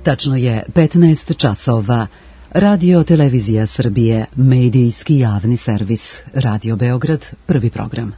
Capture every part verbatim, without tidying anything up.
Tačno je petnaest časova. Radio Televizija Srbije, medijski javni servis. Radio Beograd, prvi program.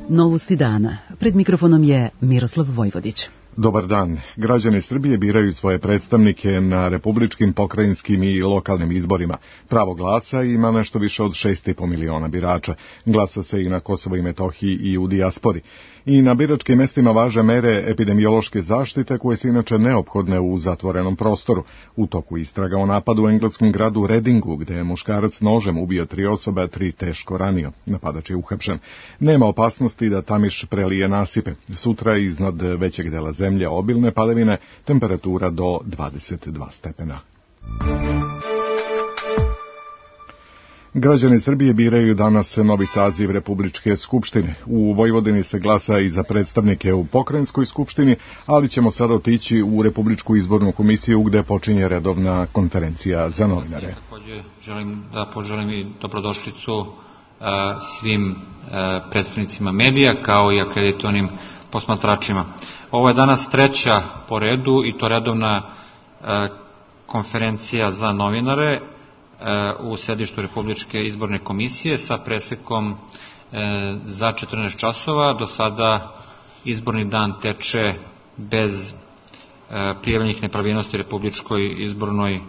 Novosti dana. Pred mikrofonom je Miroslav Vojvodić. Dobar dan. Građani Srbije biraju svoje predstavnike na republičkim, pokrajinskim i lokalnim izborima. Pravo glasa ima nešto više od šest i po miliona birača. Glasa se i na Kosovo i Metohiji i u dijaspori. I na biračkim mestima važe mere epidemiološke zaštite koje su inače neophodne u zatvorenom prostoru. U toku istraga o napadu u engleskom gradu Readingu, gde je muškarac nožem ubio tri osobe, a tri teško ranio. Napadač je uhapšen. Nema opasnosti da Tamiš prelije nasipe. Sutra je iznad većeg dela zemlje obilne padavine, temperatura do dvadeset dva stepena. Građani Srbije biraju danas novi saziv Republičke skupštine. U Vojvodini se glasa i za predstavnike u pokrajinskoj skupštini, ali ćemo sada otići u Republičku izbornu komisiju gde počinje redovna konferencija za novinare. Također želim da poželim i dobrodošlicu svim predstavnicima medija kao i akreditovanim posmatračima. Ovo je danas treća po redu i to redovna konferencija za novinare u sedištu Republičke izborne komisije sa presekom za četrnaest časova. Do sada izborni dan teče bez prijavljenih nepravilnosti Republičkoj izbornoj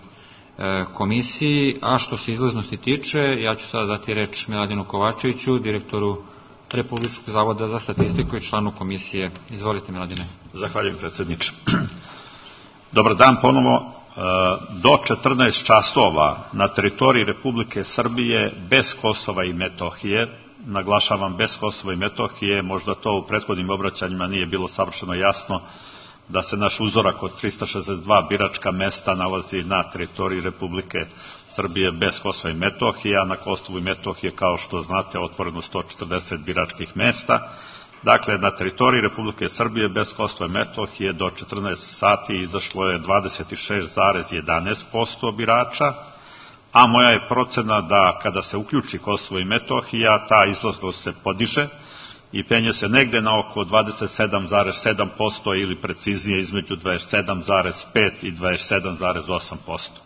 komisiji, a što se izlaznosti tiče, ja ću sada dati reč Miladinu Kovačeviću, direktoru Republičkog zavoda za statistiku i članu komisije. Izvolite, Miladine. Zahvaljujem, predsjedniče. Dobar dan ponovo. Do četrnaest časova na teritoriji Republike Srbije bez Kosova i Metohije, naglašavam bez Kosova i Metohije, možda to u prethodnim obraćanjima nije bilo savršeno jasno, da se naš uzorak od trista šezdeset dva biračka mesta nalazi na teritoriji Republike Srbije bez Kosova i Metohije, a na Kosovu i Metohije, kao što znate, otvoreno sto četrdeset biračkih mesta. Dakle, na teritoriji Republike Srbije bez Kosova i Metohije do četrnaest sati izašlo je dvadeset šest zarez jedanaest posto birača, a moja je procena da kada se uključi Kosovo i Metohija, ta izlaznost se podiže i penje se negde na oko dvadeset sedam zarez sedam posto ili preciznije između dvadeset sedam zarez pet i dvadeset sedam zarez osam posto.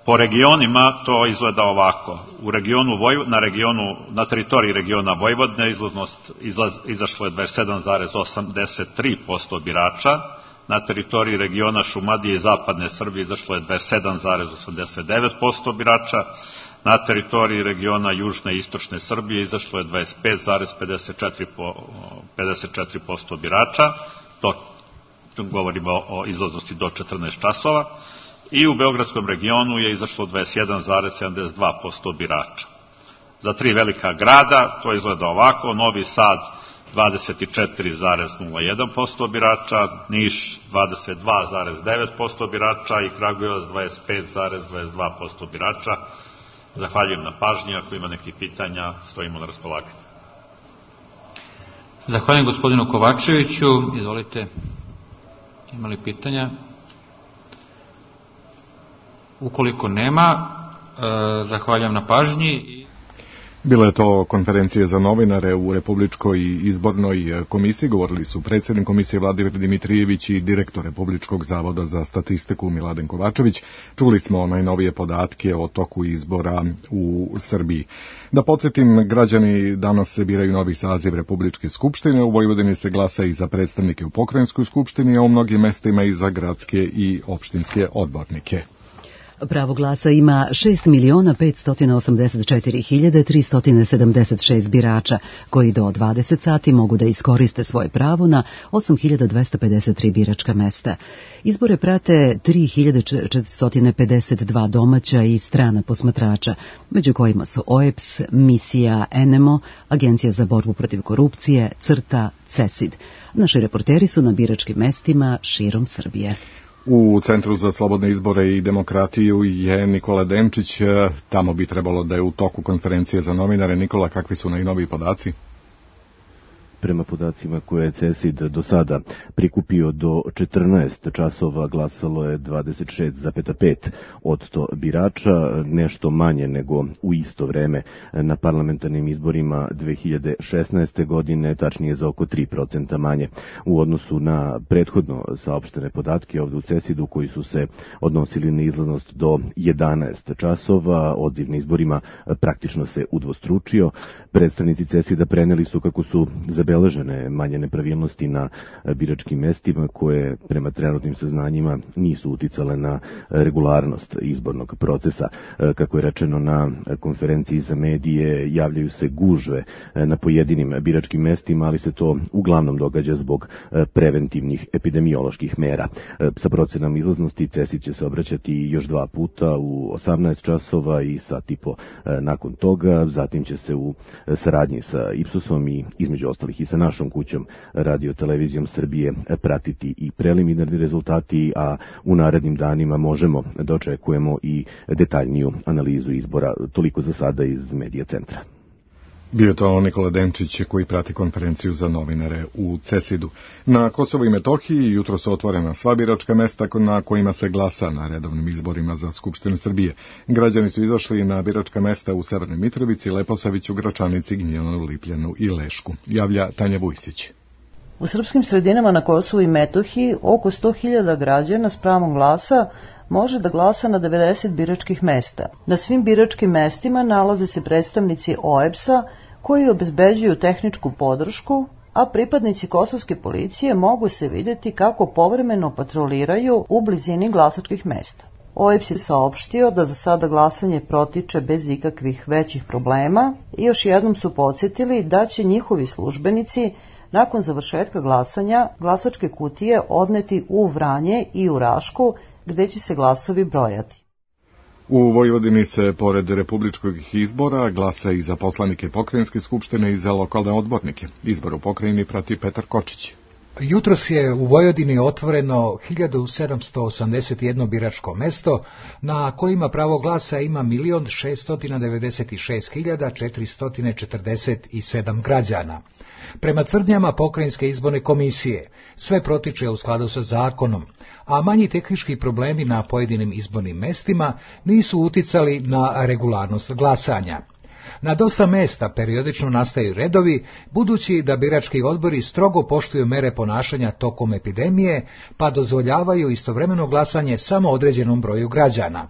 Po regionima to izgleda ovako. U regionu na regionu na teritoriji regiona Vojvodine izlaznost izlaz, izašlo je dvadeset sedam zarez osamdeset tri posto birača. Na teritoriji regiona Šumadije i Zapadne Srbije izašlo je dvadeset sedam zarez osamdeset devet posto birača. Na teritoriji regiona Južne i Istočne Srbije izašlo je dvadeset pet zarez pedeset četiri posto birača. To govorimo o izlaznosti do četrnaest časova. I u Beogradskom regionu je izašlo dvadeset jedan zarez sedamdeset dva posto birača. Za tri velika grada to izgleda ovako: Novi Sad dvadeset četiri zarez nula jedan posto birača, Niš dvadeset dva zarez devet posto birača i Kragujevac dvadeset pet zarez dvadeset dva posto birača. Zahvaljujem na pažnji, ako ima nekih pitanja, stojimo na raspolaganju. Zahvaljujem gospodinu Kovačeviću, izvolite, ima li pitanja? Ukoliko nema, e, zahvaljujem na pažnji. Bila je to konferencija za novinare u Republičkoj izbornoj komisiji. Govorili su predsjednik komisije Vladimir Dimitrijević i direktor Republičkog zavoda za statistiku Miladen Kovačević. Čuli smo najnovije podatke o toku izbora u Srbiji. Da podsjetim, građani danas se biraju novi saziv Republičke skupštine. U Vojvodini se glasa i za predstavnike u pokrajinskoj skupštini, a u mnogim mestima i za gradske i opštinske odbornike. Pravo glasa ima šest miliona petsto osamdeset četiri hiljade tristo sedamdeset šest birača, koji do dvadeset sati mogu da iskoriste svoje pravo na osam hiljada dvesta pedeset tri biračka mesta. Izbore prate tri hiljade četiristo pedeset dva domaća i strana posmatrača, među kojima su O E P S, misija N M O, Agencija za borbu protiv korupcije, CRTA, CESID. Naši reporteri su na biračkim mestima širom Srbije. U Centru za slobodne izbore i demokratiju je Nikola Denčić. Tamo bi trebalo da je u toku konferencije za novinare. Nikola, kakvi su najnoviji podaci? Prema podacima koje je CESID do sada prikupio, do četrnaest časova glasalo je dvadeset šest zarez pet posto birača, nešto manje nego u isto vreme na parlamentarnim izborima dve hiljade šesnaeste. godine, tačnije za oko tri procenta manje u odnosu na prethodno saopštene podatke ovde u CESID-u koji su se odnosili na izlaznost do jedanaest časova. Odziv na izborima praktično se udvostručio. Predstavnici CESID-a preneli su kako su zabeležene manje nepravilnosti na biračkim mestima koje prema trenutnim saznanjima nisu uticale na regularnost izbornog procesa. Kako je rečeno na konferenciji za medije, javljaju se gužve na pojedinim biračkim mestima, ali se to uglavnom događa zbog preventivnih epidemioloških mera. Sa procenom izlaznosti CESID će se obraćati još dva puta u osamnaest časova i sat i po nakon toga. Zatim će se u saradnji sa Ipsosom i između ostalih i sa našom kućom Radio Televizijom Srbije pratiti i preliminarni rezultati, a u narednim danima možemo da očekujemo i detaljniju analizu izbora. Toliko za sada iz Medija centra. Bio je to Nikola Denčić koji prati konferenciju za novinare u CESID-u. Na Kosovu i Metohiji jutro su otvorena sva biračka mesta na kojima se glasa na redovnim izborima za Skupštinu Srbije. Građani su izašli na biračka mesta u Severnoj Mitrovici, Leposaviću, Gračanici, Gnjilanu, Lipljanu i Lešku. Javlja Tanja Vujsić. U srpskim sredinama na Kosovu i Metohiji oko sto hiljada građana s pravom glasa može da glasa na devedeset biračkih mesta. Na svim biračkim mestima nalaze se predstavnici O E B S-a koji obezbeđuju tehničku podršku, a pripadnici kosovske policije mogu se vidjeti kako povremeno patroliraju u blizini glasačkih mesta. O E B S je saopštio da za sada glasanje protiče bez ikakvih većih problema i još jednom su podsjetili da će njihovi službenici nakon završetka glasanja glasačke kutije odneti u Vranje i u Rašku, gde će se glasovi brojati. U Vojvodini se, pored republičkog izbora, glasa i za poslanike pokrajinske skupštine i za lokalne odbornike. Izbor u pokrajini prati Petar Kočić. Jutros je u Vojvodini otvoreno hiljadu sedamsto osamdeset jedno biračko mesto, na kojima pravo glasa ima milion šeststo devedeset šest hiljada četiristo četrdeset sedam građana. Prema tvrdnjama Pokrajinske izborne komisije, sve protiče u skladu sa zakonom, a manji tehnički problemi na pojedinim izbornim mestima nisu uticali na regularnost glasanja. Na dosta mesta periodično nastaju redovi, budući da birački odbori strogo poštuju mere ponašanja tokom epidemije, pa dozvoljavaju istovremeno glasanje samo određenom broju građana.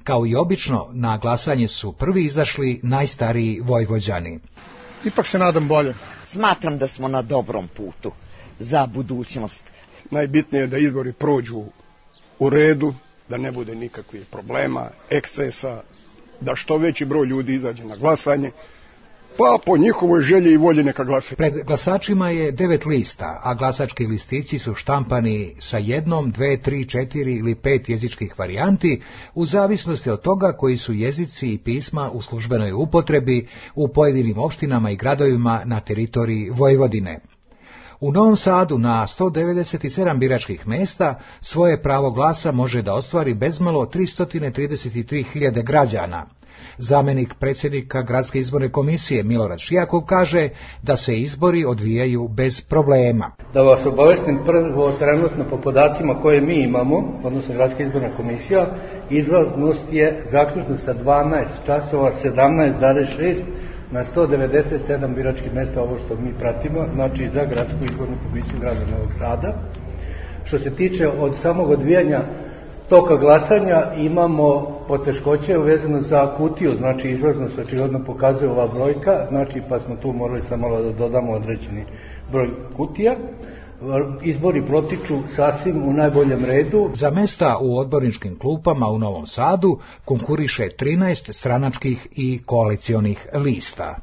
Kao i obično, na glasanje su prvi izašli najstariji Vojvođani. Ipak se nadam bolje. Smatram da smo na dobrom putu za budućnost. Najbitnije je da izbori prođu u redu, da ne bude nikakvih problema, ekscesa, da što veći broj ljudi izađe na glasanje, pa po njihovoj želji i volji neka glasaju. Pred glasačima je devet lista, a glasački listići su štampani sa jednom, dve, tri, četiri ili pet jezičkih varijanti, u zavisnosti od toga koji su jezici i pisma u službenoj upotrebi u pojedinim opštinama i gradovima na teritoriji Vojvodine. U Novom Sadu na sto devedeset sedam biračkih mesta svoje pravo glasa može da ostvari bezmalo tristo trideset tri hiljade građana. Zamenik predsjednika Gradske izborne komisije Milorad Šijakov kaže da se izbori odvijaju bez problema. Da vas obavestim prvo trenutno po podacima koje mi imamo, odnosno Gradska izborna komisija, izlaznost je zaključno sa dvanaest časova sedamnaest zarez šest na sto devedeset sedam biračkih mesta, ovo što mi pratimo, znači za Gradsku izbornu komisiju grada Novog Sada. Što se tiče od samog odvijanja toka glasanja, imamo poteškoće uvezano za kutiju, znači izlaznost očigledno pokazuje ova brojka, znači pa smo tu morali samo da dodamo određeni broj kutija. Izbori protiču sasvim u najboljem redu. Za mesta u odborničkim klupama u Novom Sadu konkuriše trinaest stranačkih i koalicionih lista.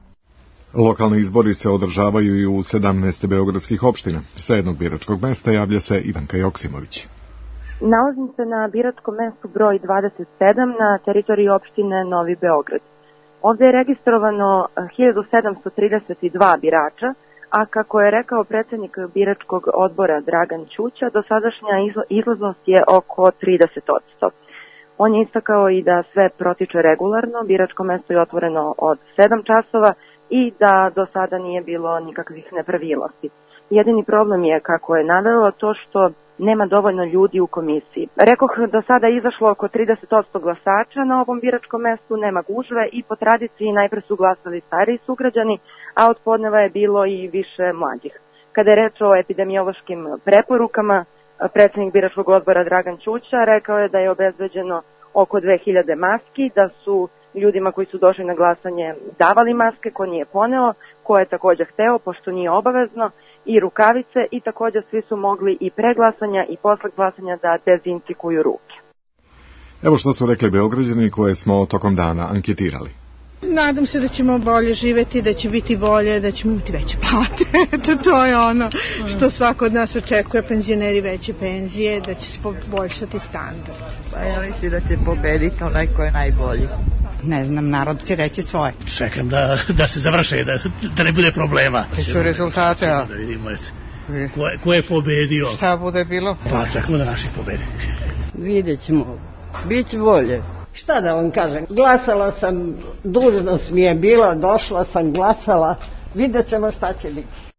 Lokalni izbori se održavaju i u sedamnaest beogradskih opština. Sa jednog biračkog mesta javlja se Ivanka Joksimović. Nalazim se na biračkom mestu broj dvadeset sedam na teritoriji opštine Novi Beograd. Ovdje je registrovano hiljadu sedamsto trideset dva birača, a kako je rekao predsjednik biračkog odbora Dragan Ćuća, dosadašnja izlaznost je oko trideset posto. On je istakao i da sve protiče regularno, biračko mesto je otvoreno od sedam časova, i da do sada nije bilo nikakvih nepravilnosti. Jedini problem je, kako je navelo, to što nema dovoljno ljudi u komisiji. Rekoh, do sada je izašlo oko trideset posto glasača na ovom biračkom mestu, nema gužve i po tradiciji najpre su glasali stariji sugrađani, a od podneva je bilo i više mlađih. Kada je reč o epidemiološkim preporukama, predsednik biračkog odbora Dragan Ćuća rekao je da je obezbeđeno oko dve hiljade maski, da su ljudima koji su došli na glasanje davali maske, ko nije poneo, ko je također hteo, pošto nije obavezno, i rukavice, i također svi su mogli i pre glasanja i posle glasanja da dezinfikuju ruke. Evo što su rekli Beograđani koje smo tokom dana anketirali. Nadam se da ćemo bolje živeti, da će biti bolje, da ćemo imati veće plate. to, to je ono što svako od nas očekuje, penzioneri veće penzije, da će se poboljšati standard. Pa ja mislim da će pobediti onaj ko je najbolji. Ne znam, narod će reći svoje. Čekam da, da se završe, da, da ne bude problema. Te su rezultate, a? Da vidimo, ko, je, ko je pobedio. Šta bude bilo? Pa čekamo da naši pobedi. Vidjet ćemo, bit će bolje. Šta da vam kažem, glasala sam, dužnost mi je bila, došla sam, glasala, vidjet ćemo šta će biti.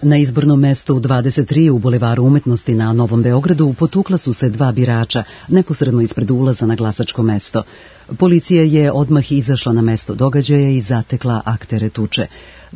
Na izbornom mestu dvadeset tri u Bulevaru umetnosti na Novom Beogradu potukla su se dva birača neposredno ispred ulaza na glasačko mesto. Policija je odmah izašla na mesto događaja i zatekla aktere tuče.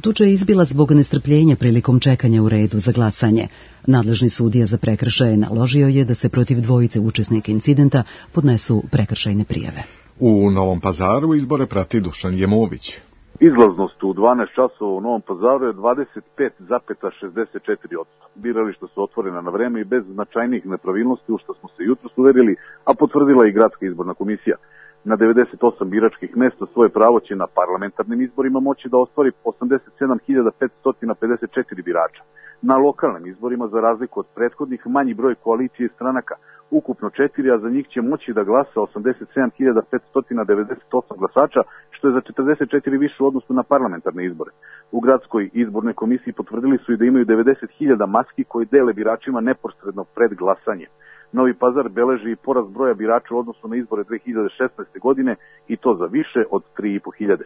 Tuča je izbila zbog nestrpljenja prilikom čekanja u redu za glasanje. Nadležni sudija za prekršaje naložio je da se protiv dvojice učesnika incidenta podnesu prekršajne prijave. U Novom Pazaru izbore prati Dušan Jemović. Izlaznost u dvanaest časova u Novom Pazaru je dvadeset pet zarez šezdeset četiri posto. Birališta su otvorena na vreme i bez značajnih nepravilnosti, u što smo se jutros uverili, a potvrdila i Gradska izborna komisija. Na devedeset osam biračkih mesta svoje pravo će na parlamentarnim izborima moći da ostvari osamdeset sedam hiljada petsto pedeset četiri birača. Na lokalnim izborima, za razliku od prethodnih, manji broj koalicije i stranaka, ukupno četiri, a za njih će moći da glasa osamdeset sedam hiljada petsto devedeset osam glasača, što je za četrdeset četiri više u odnosu na parlamentarne izbore. U Gradskoj izbornoj komisiji potvrdili su i da imaju devedeset hiljada maski koji dele biračima neposredno pred glasanje. Novi Pazar beleži i porast broja birača u odnosu na izbore dve hiljade šesnaeste. godine i to za više od tri i po hiljade.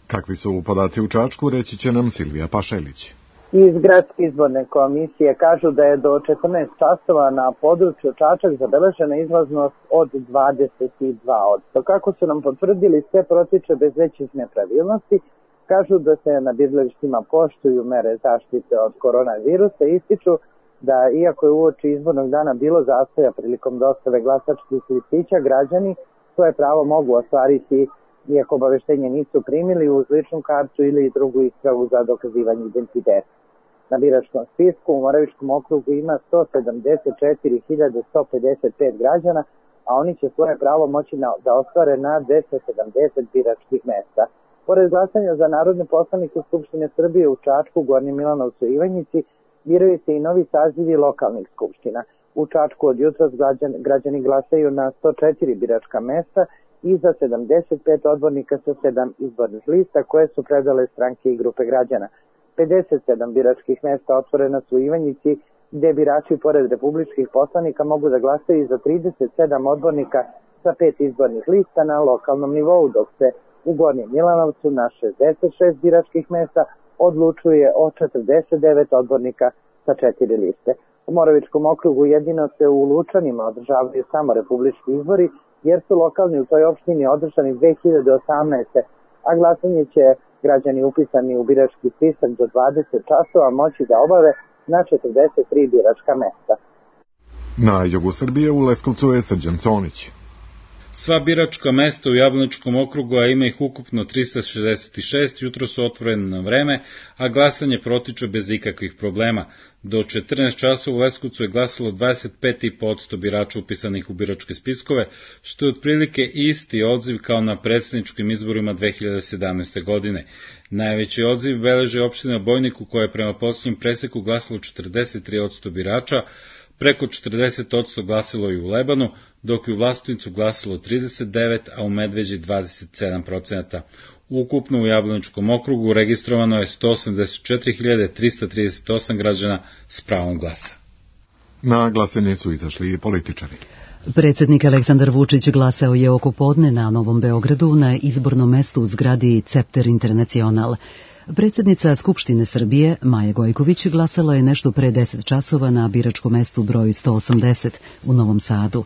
Kakvi su podaci u Čačku, reći će nam Silvija Pašelić. Iz Gradske izborne komisije kažu da je do četrnaest časova na području Čačak zabeležena izlaznost od dvadeset dva posto. Kako su nam potvrdili, sve protiče bez većih nepravilnosti. Kažu da se na biralištima poštuju mere zaštite od koronavirusa i ističu da iako je uoči izbornog dana bilo zastoja prilikom dostave glasačkih listića, građani svoje pravo mogu ostvariti iako obaveštenje nisu primili uz ličnu kartu ili drugu ispravu za dokazivanje identiteta. Na biračkom spisku u Moravičkom okrugu ima sto sedamdeset četiri hiljade sto pedeset pet građana, a oni će svoje pravo moći na, da ostvare na dvesta sedamdeset biračkih mesta. Pored glasanja za narodne poslanike Skupštine Srbije u Čačku, Gornjem Milanovcu i Ivanjici, biraju se i novi sazivi lokalnih skupština. U Čačku od jutros građani, građani glasaju na sto četiri biračka mesta i za sedamdeset pet odbornika sa sedam izbornih lista koje su predale stranke i grupe građana. pedeset sedam biračkih mesta otvorena su u Ivanjici, gde birači pored republičkih poslanika mogu da glasaju za trideset sedam odbornika sa pet izbornih lista na lokalnom nivou, dok se u Gornjem Milanovcu na šezdeset šest biračkih mesta odlučuje o četrdeset devet odbornika sa četiri liste. U Moravičkom okrugu jedino se u Lučanima održavaju samo republički izbori, jer su lokalni u toj opštini održani dve hiljade osamnaeste. a glasanje će građani upisani u birački spisak do dvadeset časova moći da obave na četrdeset tri biračka mesta. Na jugu Srbije u Leskovcu je Srđan Conić. Sva biračka mesta u Jablaničkom okrugu, a ima ih ukupno trista šezdeset šest, jutro su otvorene na vreme, a glasanje protiče bez ikakvih problema. Do četrnaest časova u Leskovcu je glasalo dvadeset pet zarez pet posto birača upisanih u biračke spiskove, što je otprilike isti odziv kao na predsjedničkim izborima dve hiljade sedamnaeste. godine. Najveći odziv beleži opština Bojnik, u kojoj je prema posljednjem preseku glasalo četrdeset tri posto birača, preko četrdeset posto glasilo i u Lebanu, dok je u Vlastunicu glasilo trideset devet, a u Medveđi dvadeset sedam posto. Ukupno u Jablaničkom okrugu registrovano je sto osamdeset četiri hiljade trista trideset osam građana s pravom glasa. Na glasanje su izašli i političari. Predsjednik Aleksandar Vučić glasao je oko podne na Novom Beogradu na izbornom mestu u zgradi Cepter Internacional. Predsjednica Skupštine Srbije, Maja Gojković, glasala je nešto pre deset časova na biračkom mestu broj sto osamdeset u Novom Sadu.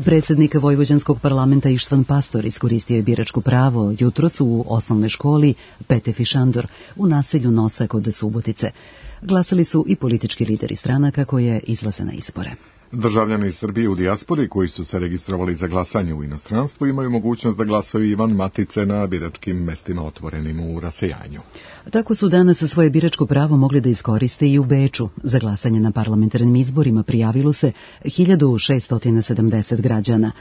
Predsjednik Vojvođanskog parlamenta Ištvan Pastor iskoristio je biračko pravo jutros u osnovnoj školi Pete Fišandor u naselju Nosa kod Subotice. Glasali su i politički lideri stranaka koje izlaze na izbore. Državljani Srbije u dijaspori koji su se registrovali za glasanje u inostranstvu imaju mogućnost da glasaju i van matice na biračkim mestima otvorenim u rasejanju. Tako su danas svoje biračko pravo mogli da iskoriste i u Beču. Za glasanje na parlamentarnim izborima prijavilo se hiljadu šesto sedamdeset građana.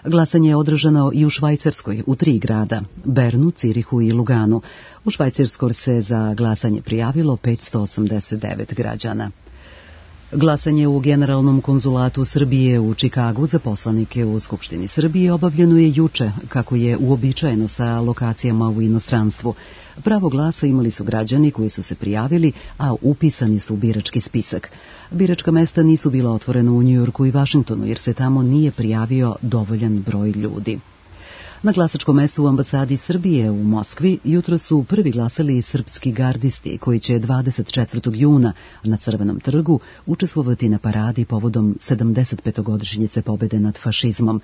Glasanje je održano i u Švajcarskoj, u tri grada, Bernu, Cirihu i Luganu. U Švajcarskoj se za glasanje prijavilo petsto osamdeset devet građana. Glasanje u Generalnom konzulatu Srbije u Čikagu za poslanike u Skupštini Srbije obavljeno je juče, kako je uobičajeno sa lokacijama u inostranstvu. Pravo glasa imali su građani koji su se prijavili, a upisani su u birački spisak. Biračka mesta nisu bila otvorena u Njujorku i Vašingtonu, jer se tamo nije prijavio dovoljan broj ljudi. Na glasačkom mestu u ambasadi Srbije u Moskvi jutro su prvi glasali srpski gardisti koji će dvadeset četvrtog juna na Crvenom trgu učestvovati na paradi povodom sedamdesetpetogodišnjice pobede nad fašizmom.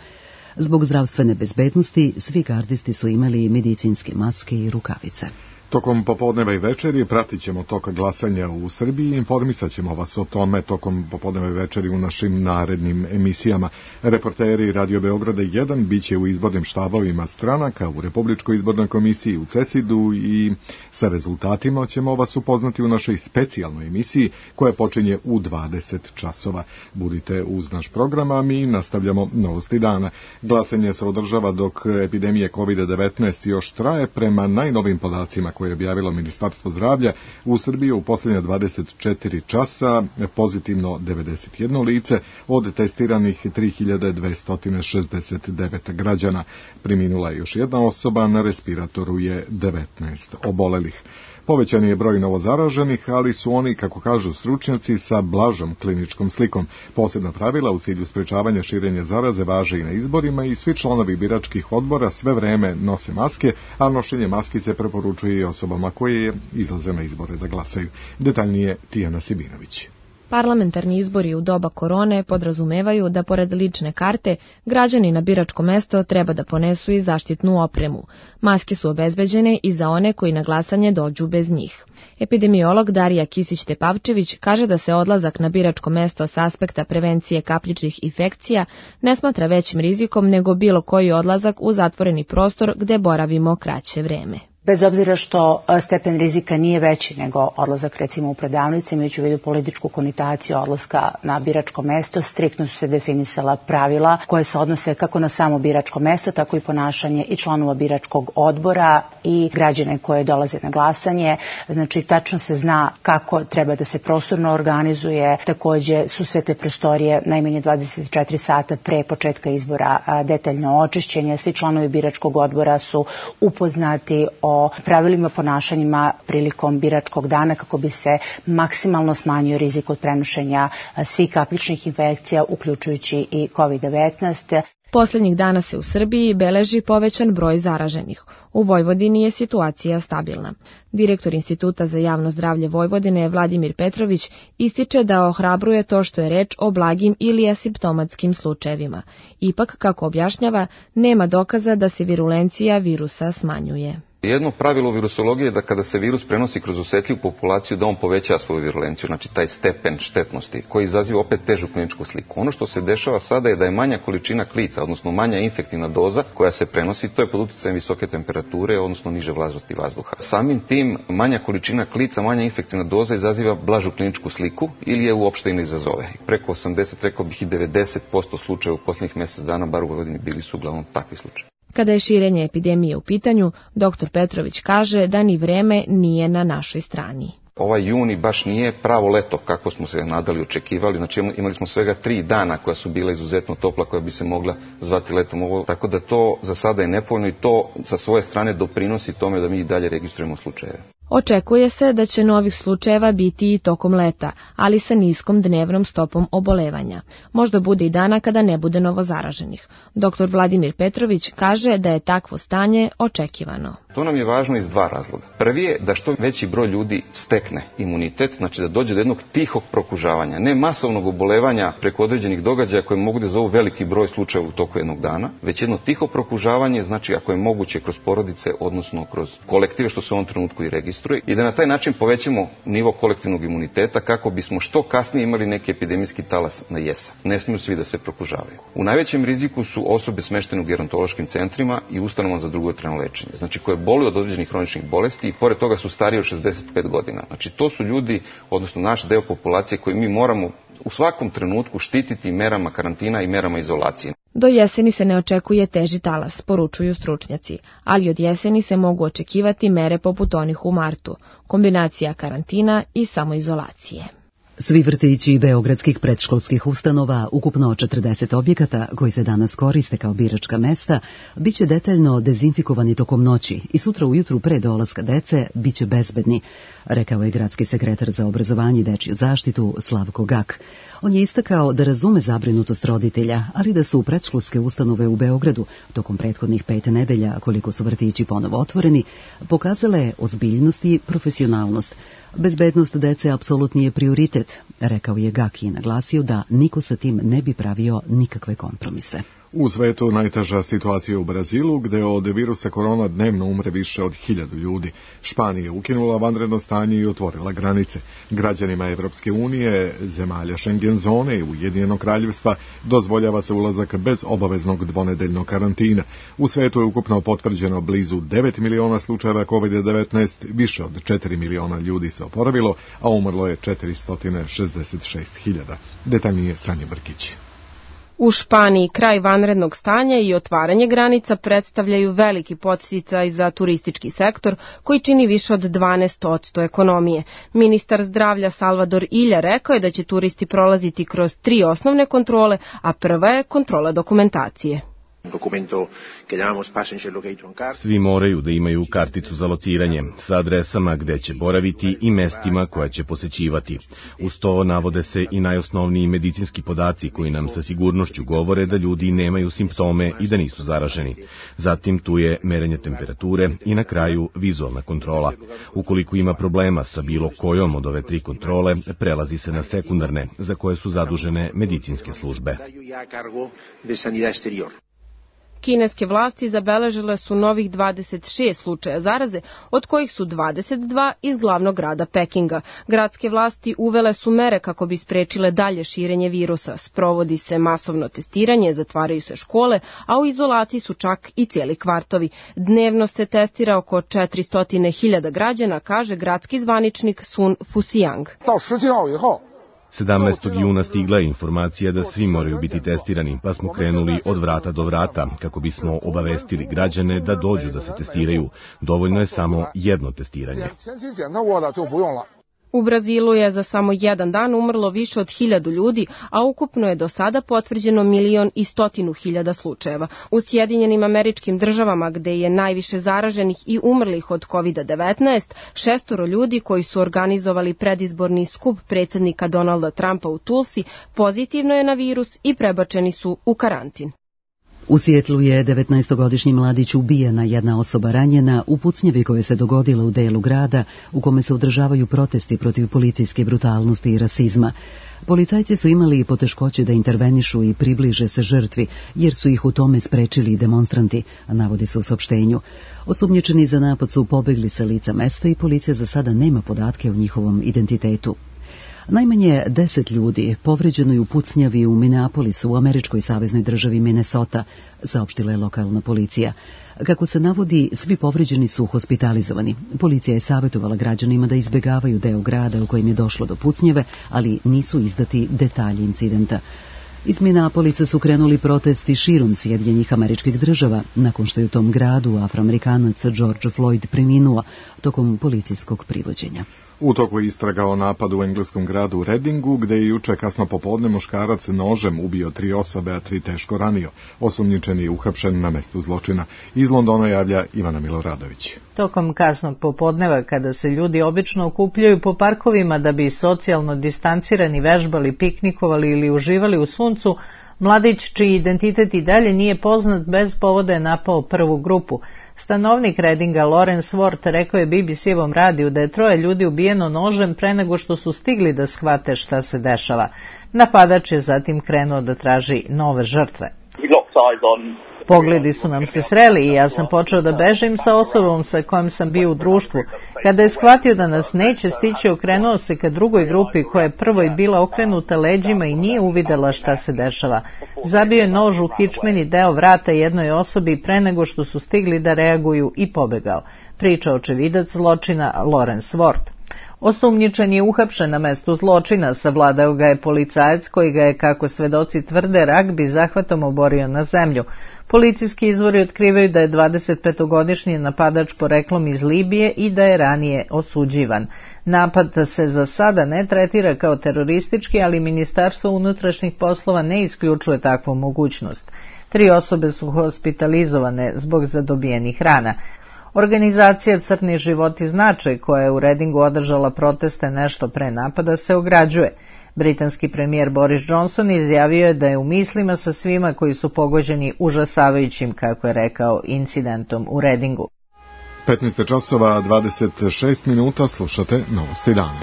Zbog zdravstvene bezbednosti svi gardisti su imali medicinske maske i rukavice. Tokom popodneva i večeri pratit ćemo tok glasanja u Srbiji i informisat ćemo vas o tome tokom popodneva i večeri u našim narednim emisijama. Reporteri Radio Beograda jedan biće u izbornim štabovima stranaka u Republičkoj izbornoj komisiji u CESID-u i sa rezultatima ćemo vas upoznati u našoj specijalnoj emisiji koja počinje u dvadeset časova. Budite uz naš program, a mi nastavljamo novosti dana. Glasanje se održava dok epidemije kovid devetnaest još traje. Prema najnovim podacima koje je objavilo Ministarstvo zdravlja, u Srbiji u posljednje dvadeset četiri časa pozitivno devedeset jedno lice od testiranih tri hiljade dvesta šezdeset devet građana. Preminula je još jedna osoba, na respiratoru je devetnaest obolelih. Povećan je broj novozaraženih, ali su oni, kako kažu stručnjaci, sa blažom kliničkom slikom. Posebna pravila u cilju sprečavanja širenja zaraze važe i na izborima i svi članovi biračkih odbora sve vreme nose maske, a nošenje maski se preporučuje i osobama koje izlaze na izbore da glasaju. Detaljnije Tijana Sibinović. Parlamentarni izbori u doba korone podrazumevaju da pored lične karte građani na biračko mesto treba da ponesu i zaštitnu opremu. Maske su obezbeđene i za one koji na glasanje dođu bez njih. Epidemiolog Darija Kisić-Tepavčević kaže da se odlazak na biračko mesto s aspekta prevencije kapljičnih infekcija ne smatra većim rizikom nego bilo koji odlazak u zatvoreni prostor gde boravimo kraće vreme. Bez obzira što stepen rizika nije veći nego odlazak recimo u prodavnice, imajući u vidu političku konotaciju odlaska na biračko mesto, striktno su se definisala pravila koje se odnose kako na samo biračko mesto, tako i ponašanje i članova biračkog odbora i građane koje dolaze na glasanje. Znači, tačno se zna kako treba da se prostorno organizuje. Takođe su sve te prostorije najmanje dvadeset četiri sata pre početka izbora detaljno očišćenje. Svi članovi biračkog odbora su upoznati o o pravilima ponašanjima prilikom biračkog dana kako bi se maksimalno smanjio rizik od prenošenja svih kapljičnih infekcija, uključujući i kovid devetnaest. Poslednjih dana se u Srbiji beleži povećan broj zaraženih. U Vojvodini je situacija stabilna. Direktor Instituta za javno zdravlje Vojvodine Vladimir Petrović ističe da ohrabruje to što je reč o blagim ili asimptomatskim slučajevima. Ipak, kako objašnjava, nema dokaza da se virulencija virusa smanjuje. Jedno pravilo virusologije je da kada se virus prenosi kroz osetljivu populaciju da on poveća svoju virulenciju, znači taj stepen štetnosti koji izaziva opet težu kliničku sliku. Ono što se dešava sada je da je manja količina klica, odnosno manja infektivna doza koja se prenosi, to je pod uticajem visoke temperature, odnosno niže vlažnosti vazduha. Samim tim manja količina klica, manja infektivna doza izaziva blažu kliničku sliku ili je uopšte i ne izazove. Preko osamdeset, rekao bih i devedeset posto slučaja u posljednjih mjesec dana, bar u Vojvodini, bili su uglavnom takvi slučajevi. Kada je širenje epidemije u pitanju, doktor Petrović kaže da ni vreme nije na našoj strani. Ovaj juni baš nije pravo leto kako smo se nadali, očekivali. Znači imali smo svega tri dana koja su bila izuzetno topla, koja bi se mogla zvati letom. Ovo, tako da to za sada je nepovoljno i to sa svoje strane doprinosi tome da mi i dalje registrujemo slučajeve. Očekuje se da će novih slučajeva biti i tokom leta, ali sa niskom dnevnom stopom obolevanja. Možda bude i dana kada ne bude novozaraženih. Doktor Vladimir Petrović kaže da je takvo stanje očekivano. To nam je važno iz dva razloga. Prvi je da što veći broj ljudi stekne imunitet, znači da dođe do jednog tihog prokužavanja, ne masovnog obolevanja preko određenih događaja koje mogu da zovu veliki broj slučajeva u toku jednog dana, već jedno tiho prokužavanje, znači ako je moguće kroz porodice, odnosno kroz kolektive, što se u ovom trenutku i registruje, i da na taj način povećamo nivo kolektivnog imuniteta kako bismo što kasnije imali neki epidemijski talas na jesen. Ne smiju svi da se prokužavaju. U najvećem riziku su osobe smeštene u gerontološkim centrima i ustanovama za dugotrajno lečenje, znači koje boluju od određenih hroničnih bolesti i pored toga su stariji od šezdeset pet godina. Znači to su ljudi, odnosno naš deo populacije koji mi moramo u svakom trenutku štititi merama karantina i merama izolacije. Do jeseni se ne očekuje teži talas, poručuju stručnjaci, ali od jeseni se mogu očekivati mere poput onih u martu, kombinacija karantina i samoizolacije. Svi vrtići beogradskih predškolskih ustanova, ukupno četrdeset objekata koji se danas koriste kao biračka mesta, biće detaljno dezinfikovani tokom noći i sutra ujutru pre dolaska dece biće bezbedni, rekao je gradski sekretar za obrazovanje i dečju zaštitu Slavko Gak. On je istakao da razume zabrinutost roditelja, ali da su predškolske ustanove u Beogradu tokom prethodnih pet nedelja, koliko su vrtići ponovo otvoreni, pokazale ozbiljnost i profesionalnost. Bezbednost dece apsolutni je prioritet, rekao je Gaki i naglasio da niko sa tim ne bi pravio nikakve kompromise. U svetu najteža situacija u Brazilu, gde od virusa korona dnevno umre više od hiljadu ljudi. Španija je ukinula vanredno stanje i otvorila granice. Građanima Evropske unije, zemalja Schengen zone i Ujedinjenog kraljevstva dozvoljava se ulazak bez obaveznog dvonedeljnog karantina. U svetu je ukupno potvrđeno blizu devet miliona slučajeva kovid devetnaest, više od četiri miliona ljudi se oporavilo, a umrlo je četiristo šezdeset šest hiljada. Detaljnije Sanja Brkić. U Španiji kraj vanrednog stanja i otvaranje granica predstavljaju veliki podsticaj za turistički sektor koji čini više od dvanaest posto ekonomije. Ministar zdravlja Salvador Illa rekao je da će turisti prolaziti kroz tri osnovne kontrole, a prva je kontrola dokumentacije. Svi moraju da imaju karticu za lociranje sa adresama gde će boraviti i mestima koja će posećivati. Uz to navode se i najosnovniji medicinski podaci koji nam sa sigurnošću govore da ljudi nemaju simptome i da nisu zaraženi. Zatim tu je merenje temperature i na kraju vizualna kontrola. Ukoliko ima problema sa bilo kojom od ove tri kontrole, prelazi se na sekundarne, za koje su zadužene medicinske službe. Kineske vlasti zabeležile su novih dvadeset šest slučaja zaraze, od kojih su dvadeset dva iz glavnog grada Pekinga. Gradske vlasti uvele su mere kako bi sprečile dalje širenje virusa. Sprovodi se masovno testiranje, zatvaraju se škole, a u izolaciji su čak i cijeli kvartovi. Dnevno se testira oko četiristo hiljada građana, kaže gradski zvaničnik Sun Fusiang. sedamnaestog juna stigla je informacija da svi moraju biti testirani, pa smo krenuli od vrata do vrata kako bismo obavestili građane da dođu da se testiraju. Dovoljno je samo jedno testiranje. U Brazilu je za samo jedan dan umrlo više od hiljadu ljudi, a ukupno je do sada potvrđeno milion i stotinu hiljada slučajeva. U Sjedinjenim Američkim Državama, gde je najviše zaraženih i umrlih od kovid devetnaest, šestoro ljudi koji su organizovali predizborni skup predsjednika Donalda Trumpa u Tulsi pozitivno je na virus i prebačeni su u karantin. U Sijetlu je devetnaestogodišnji mladić ubijen, a jedna osoba ranjena u pucnjevi koje se dogodila u delu grada u kome se održavaju protesti protiv policijske brutalnosti i rasizma. Policajci su imali poteškoće da intervenišu i približe se žrtvi, jer su ih u tome sprečili demonstranti, navodi se u saopštenju. Osumnjičeni za napad su pobegli sa lica mesta i policija za sada nema podatke o njihovom identitetu. Najmanje deset ljudi povređeno je u pucnjavi u Minneapolisu u američkoj saveznoj državi Minnesota, saopštila je lokalna policija. Kako se navodi, svi povređeni su hospitalizovani. Policija je savjetovala građanima da izbjegavaju deo grada u kojem je došlo do pucnjave, ali nisu izdati detalji incidenta. Iz Minneapolisa su krenuli protesti širom Sjedinjenih Američkih Država, nakon što je u tom gradu Afroamerikanac George Floyd preminuo tokom policijskog privođenja. U toku istraga o napadu u engleskom gradu Readingu, gde je juče kasno popodne muškarac nožem ubio tri osobe, a tri teško ranio. Osumnjičeni je uhapšen na mestu zločina. Iz Londona javlja Ivana Miloradović. Tokom kasnog popodneva, kada se ljudi obično okupljaju po parkovima da bi socijalno distancirani vežbali, piknikovali ili uživali u suncu, mladić, čiji identitet i dalje nije poznat, bez povoda je napao prvu grupu. Stanovnik Readinga Lawrence Ward rekao je B B C-ovom radiju da je troje ljudi ubijeno nožem pre nego što su stigli da shvate šta se dešava. Napadač je zatim krenuo da traži nove žrtve. Pogledi su nam se sreli i ja sam počeo da bežim sa osobom sa kojom sam bio u društvu. Kada je shvatio da nas neće stići, okrenuo se ka drugoj grupi koja je prvoj bila okrenuta leđima i nije uvidela šta se dešava. Zabio je nož u kičmeni deo vrata jednoj osobi pre nego što su stigli da reaguju i pobegao. Priča očevidac zločina Lawrence Ward. Osumnjičen je uhapšen na mestu zločina, savladao ga je policajac koji ga je, kako svedoci tvrde, ragbi zahvatom oborio na zemlju. Policijski izvori otkrivaju da je dvadesetpetogodišnji napadač poreklom iz Libije i da je ranije osuđivan. Napad se za sada ne tretira kao teroristički, ali Ministarstvo unutrašnjih poslova ne isključuje takvu mogućnost. Tri osobe su hospitalizovane zbog zadobijenih rana. Organizacija Crni život i značaj, koja je u Readingu održala proteste nešto pre napada, se ograđuje. Britanski premijer Boris Johnson izjavio je da je u mislima sa svima koji su pogođeni užasavajućim, kako je rekao, incidentom u Readingu. petnaest časova dvadeset šest minuta, slušate Novosti dana.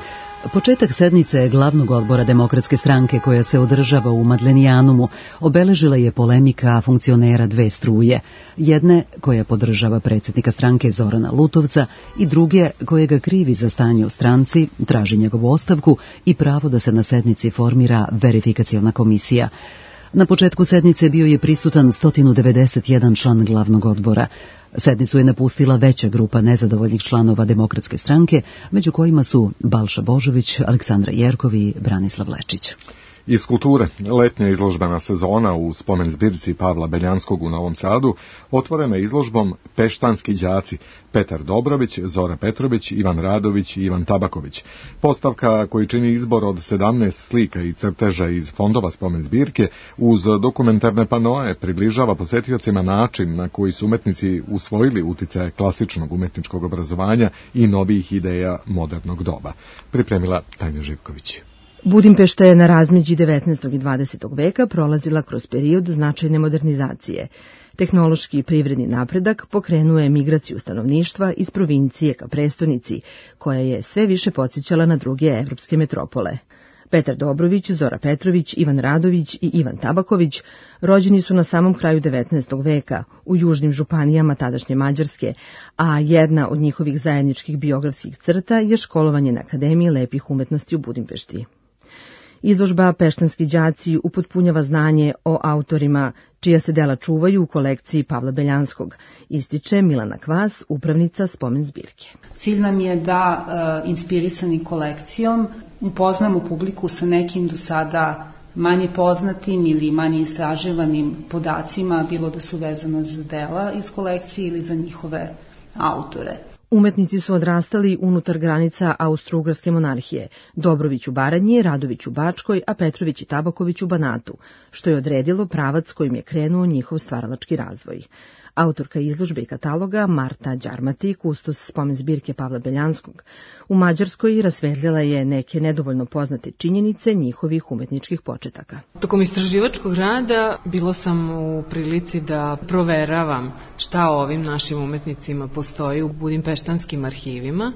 Početak sednice glavnog odbora Demokratske stranke, koja se održava u Madlenijanumu, obeležila je polemika funkcionera dve struje. Jedne koja podržava predsjednika stranke Zorana Lutovca i druge koje ga krivi za stanje u stranci, traži njegovu ostavku i pravo da se na sednici formira verifikaciona komisija. Na početku sednice bio je prisutan sto devedeset jedan član glavnog odbora. Sednicu je napustila veća grupa nezadovoljnih članova Demokratske stranke, među kojima su Balša Božović, Aleksandra Jerkov i Branislav Lečić. Iz kulture, letnja izložbena sezona u spomen zbirci Pavla Beljanskog u Novom Sadu otvorena izložbom Peštanski đaci, Petar Dobrović, Zora Petrović, Ivan Radović i Ivan Tabaković. Postavka koji čini izbor od sedamnaest slika i crteža iz fondova spomen zbirke uz dokumentarne panoe približava posetiocima način na koji su umetnici usvojili uticaje klasičnog umetničkog obrazovanja i novih ideja modernog doba. Pripremila Tanja Živković. Budimpešta je na razmeđi devetnaestog i dvadesetog veka prolazila kroz period značajne modernizacije. Tehnološki i privredni napredak pokrenuo je migraciju stanovništva iz provincije ka prestonici, koja je sve više podsjećala na druge evropske metropole. Petar Dobrović, Zora Petrović, Ivan Radović i Ivan Tabaković rođeni su na samom kraju devetnaestog veka u južnim županijama tadašnje Mađarske, a jedna od njihovih zajedničkih biografskih crta je školovanje na Akademiji lepih umetnosti u Budimpešti. Izložba Peštanski đaci upotpunjava znanje o autorima čija se dela čuvaju u kolekciji Pavla Beljanskog, ističe Milana Kvas, upravnica spomen zbirke. Cilj nam je da, e, inspirisani kolekcijom, upoznamo publiku sa nekim do sada manje poznatim ili manje istraživanim podacima, bilo da su vezana za dela iz kolekcije ili za njihove autore. Umetnici su odrastali unutar granica Austro-Ugarske monarhije, Dobrović u Baranji, Radović u Bačkoj, a Petrović i Tabaković u Banatu, što je odredilo pravac kojim je krenuo njihov stvaralački razvoj. Autorka izložbe i kataloga Marta Đarmati, kustos spomen zbirke Pavla Beljanskog, u Mađarskoj rasvetljala je neke nedovoljno poznate činjenice njihovih umetničkih početaka. Tokom istraživačkog rada bila sam u prilici da proveravam šta o ovim našim umetnicima postoji u budimpeštanskim arhivima.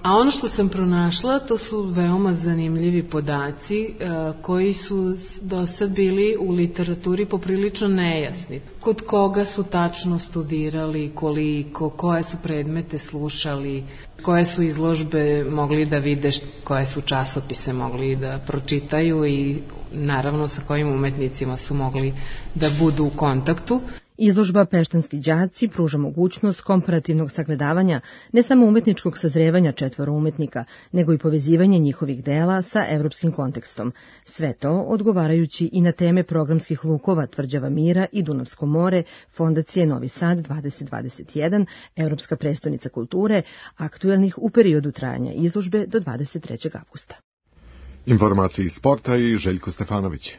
A ono što sam pronašla, to su veoma zanimljivi podaci e, koji su do sad bili u literaturi poprilično nejasni. Kod koga su tačno studirali, koliko, koje su predmete slušali, koje su izložbe mogli da vide, koje su časopise mogli da pročitaju i naravno sa kojim umetnicima su mogli da budu u kontaktu. Izložba Peštanski đaci pruža mogućnost komparativnog sagledavanja ne samo umetničkog sazrevanja četvoro umetnika, nego i povezivanje njihovih dela sa evropskim kontekstom. Sve to odgovarajući i na teme programskih lukova Tvrđava mira i Dunavsko more, Fondacije Novi Sad dvadeset dvadeset jedan, Evropska prestonica kulture, aktuelnih u periodu trajanja izložbe do dvadeset trećeg avgusta. Informacije iz sporta i Željko Stefanović.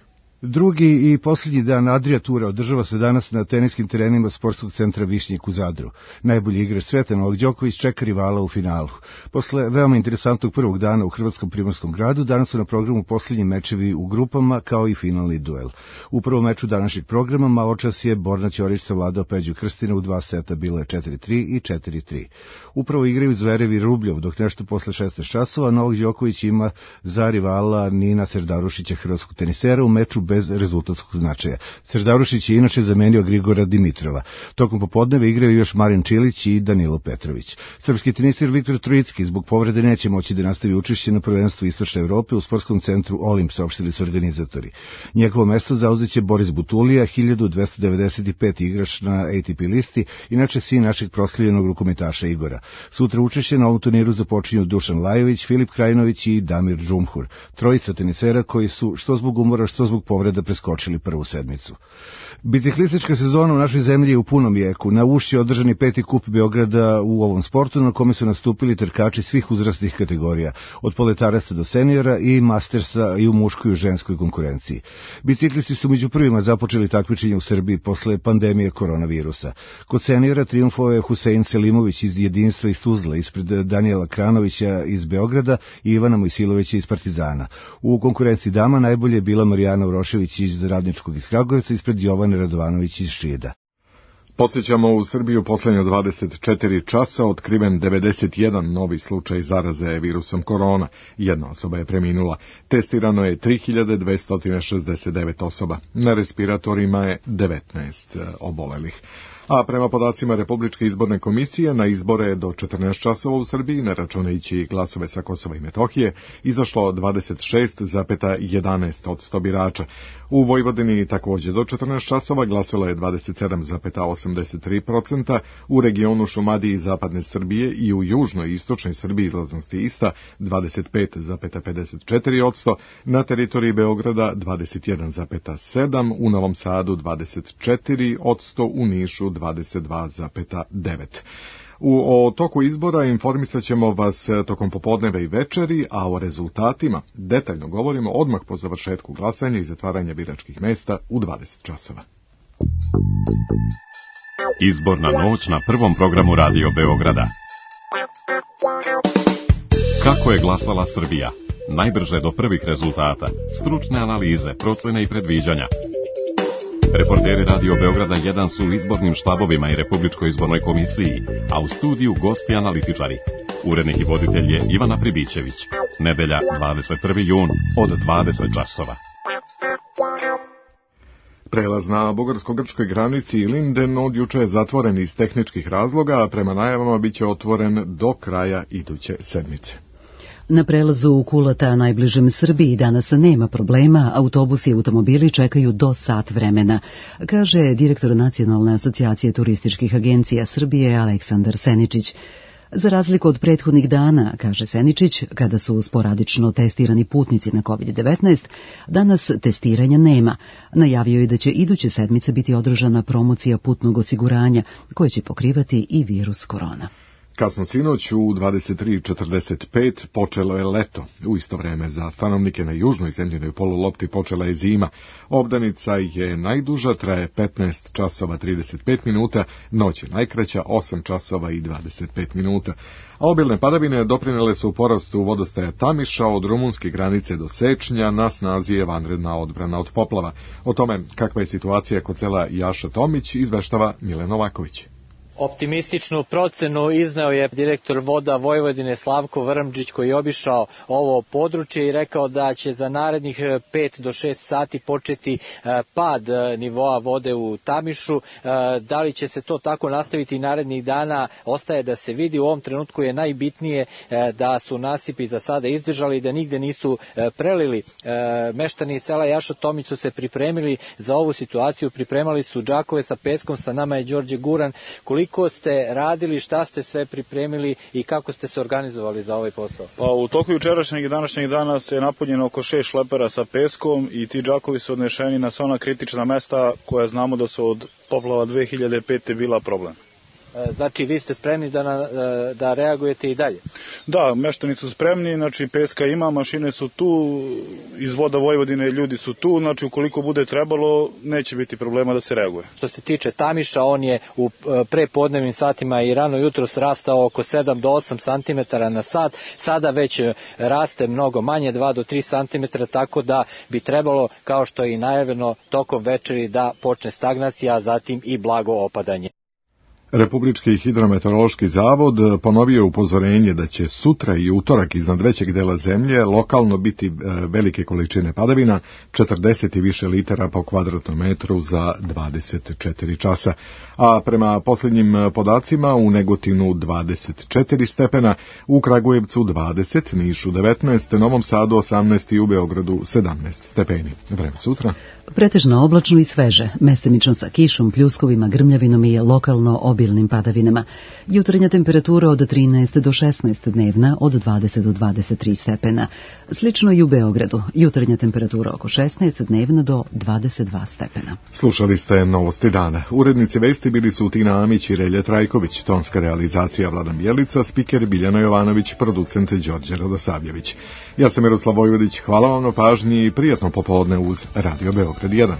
Drugi i posljednji dan Adria Tura održava se danas na teniskim terenima sportskog centra Višnjik u Zadru. Najbolji igrač sveta Novak Đoković čeka rivala u finalu. Posle veoma interesantnog prvog dana u Hrvatskom primorskom gradu, danas su na programu posljednji mečevi u grupama kao i finalni duel. U prvom meču današnjeg programa maločas je Borna Ćorić savladao Peđu Krstina u dva seta, bilo je četiri tri i četiri tri. Upravo igraju Zverev i Rubljov, dok nešto posle šesnaest časova Novak Đoković ima za rivala Nina Serdarušića, hrvatskog tenisera, u meču bez rezultatskog značaja. Serdarušić je inače zamenio Grigora Dimitrova. Tokom popodneve igraju još Marin Čilić i Danilo Petrović. Srpski teniser Viktor Trojicki zbog povrede neće moći da nastavi učešće na prvenstvu Istočne Evrope u sportskom centru Olimp, saopštili su organizatori. Njegovo mesto zauzeće Boris Butulija, hiljadu dvesta devedeset peti igrač na A T P listi, inače sin našeg proslavljenog rukometaša Igora. Sutra učešće na ovom turniru započinju Dušan Lajović, Filip Krajinović i Damir Džumhur. Trojica tenisera koji su što zbog umora, što zbog povreda preskočili prvu sedmicu. Biciklistička sezona u našoj zemlji je u punom jeku. Na Ušći je održani peti kup Beograda u ovom sportu, na kome su nastupili trkači svih uzrastnih kategorija, od poletaraca do seniora i mastersa i u muškoj i u ženskoj konkurenciji. Biciklisti su među prvima započeli takmičenje u Srbiji posle pandemije koronavirusa. Kod seniora triumfovao je Husein Selimović iz Jedinstva iz Tuzla, ispred Danijela Kranovića iz Beograda i Ivana Mojsilovića iz Partizana. U konkurenciji dama najbolje je bila Marijana Urošević iz Radničkog iz Kragujevca, ispred Jovane Radovanović iz Šida. Podsjećamo, u Srbiju poslednje dvadeset četiri časa otkriven devedeset jedan novi slučaj zaraze virusom korona. Jedna osoba je preminula. Testirano je tri hiljade dvesta šezdeset devet osoba. Na respiratorima je devetnaest obolelih. A prema podacima Republičke izborne komisije, na izbore do četrnaest časova u Srbiji, ne računajući glasove sa Kosova i Metohije, izašlo dvadeset šest zarez jedanaest posto birača. U Vojvodini takođe do četrnaest časova glasalo je dvadeset sedam zarez osamdeset tri posto, u regionu Šumadije i Zapadne Srbije i u južnoj i istočnoj Srbiji izlaznost je ista, dvadeset pet zarez pedeset četiri posto, na teritoriji Beograda dvadeset jedan zarez sedam posto, u Novom Sadu dvadeset četiri posto, u Nišu dvadeset dva zarez devet posto. U o toku izbora informisat ćemo vas tokom popodneva i večeri, a o rezultatima detaljno govorimo odmah po završetku glasanja i zatvaranja biračkih mesta u dvadeset časova. Izborna noć na prvom programu Radio Beograda. Kako je glasala Srbija? Najbrže do prvih rezultata, stručne analize, procene i predviđanja. Reporteri Radio Beograda jedan su u izbornim štabovima i Republičkoj izbornoj komisiji, a u studiju gosti analitičari. Urednik i voditelj je Ivana Pribićević. Nedelja, dvadeset prvi jun, od dvadeset časova. Prelaz na bugarsko-grčkoj granici Linden od juče je zatvoren iz tehničkih razloga, a prema najavama biće otvoren do kraja iduće sedmice. Na prelazu u Kulata, najbližem Srbiji, danas nema problema, autobusi i automobili čekaju do sat vremena, kaže direktor Nacionalne asocijacije turističkih agencija Srbije Aleksandar Seničić. Za razliku od prethodnih dana, kaže Seničić, kada su sporadično testirani putnici na kovid devetnaest, danas testiranja nema. Najavio je da će iduće sedmice biti održana promocija putnog osiguranja, koje će pokrivati i virus korona. Kasno sinoć u dvadeset tri četrdeset pet počelo je leto. U isto vreme za stanovnike na južnoj zemljinoj polulopti počela je zima. Obdanica je najduža, traje petnaest časova trideset pet minuta, noć je najkraća osam časova i dvadeset pet minuta. A obilne padavine doprinele su porastu vodostaja Tamiša od rumunske granice do Sečnja, na snazi je vanredna odbrana od poplava. O tome kakva je situacija kod sela Jaša Tomić izveštava Milan Novaković. Optimističnu procenu izneo je direktor Voda Vojvodine Slavko Vrmđić, koji je obišao ovo područje i rekao da će za narednih pet do šest sati početi pad nivoa vode u Tamišu. Da li će se to tako nastaviti narednih dana, ostaje da se vidi. U ovom trenutku je najbitnije da su nasipi za sada izdržali i da nigde nisu prelili. Meštani sela Jaša Tomić su se pripremili za ovu situaciju, pripremali su džakove sa peskom, sa nama je Đorđe Guran. Koliko ste radili, šta ste sve pripremili i kako ste se organizovali za ovaj posao? Pa u toku jučerašnjeg i današnjeg dana se je napunjeno oko šest šlepera sa peskom i ti džakovi su odnešeni na sva ona kritična mesta koja znamo da su od poplava dve hiljade pete bila problem. Znači vi ste spremni da, na, da reagujete i dalje? Da, meštani su spremni, znači peska ima, mašine su tu, iz Voda Vojvodine ljudi su tu, znači ukoliko bude trebalo neće biti problema da se reaguje. Što se tiče Tamiša, on je u prepodnevnim satima i rano jutro rastao oko sedam do osam santimetara na sat, sada već raste mnogo manje, dva do tri santimetra, tako da bi trebalo, kao što je i najavljeno, tokom večeri da počne stagnacija, a zatim i blago opadanje. Republički hidrometeorološki zavod ponovio upozorenje da će sutra i utorak iznad većeg dela zemlje lokalno biti velike količine padavina, četrdeset i više litara po kvadratnom metru za dvadeset četiri časa. A prema posljednjim podacima u Negotinu dvadeset četiri stepena, u Kragujevcu dvadeset, Nišu devetnaest, Novom Sadu osamnaest i u Beogradu sedamnaest stepeni. Vreme sutra. Pretežno oblačno i sveže, mestimično sa kišom, pljuskovima, grmljavinom i lokalno obilnim padavinama. Jutarnja temperatura od trinaest do šesnaest, dnevna od dvadeset do dvadeset tri stepena. Slično i u Beogradu, jutarnja temperatura oko šesnaest, dnevna do dvadeset dva stepena. Slušali ste Novosti dana. Urednici vesti bili su Tina Amić i Relja Trajković, tonska realizacija Vladan Bjelica, spiker Biljana Jovanović, producent Đorđe Radosavljević. Ja sam Miroslav Vojvodić, hvala vam na pažnji i prijatno popodne uz Radio Beograd jedan.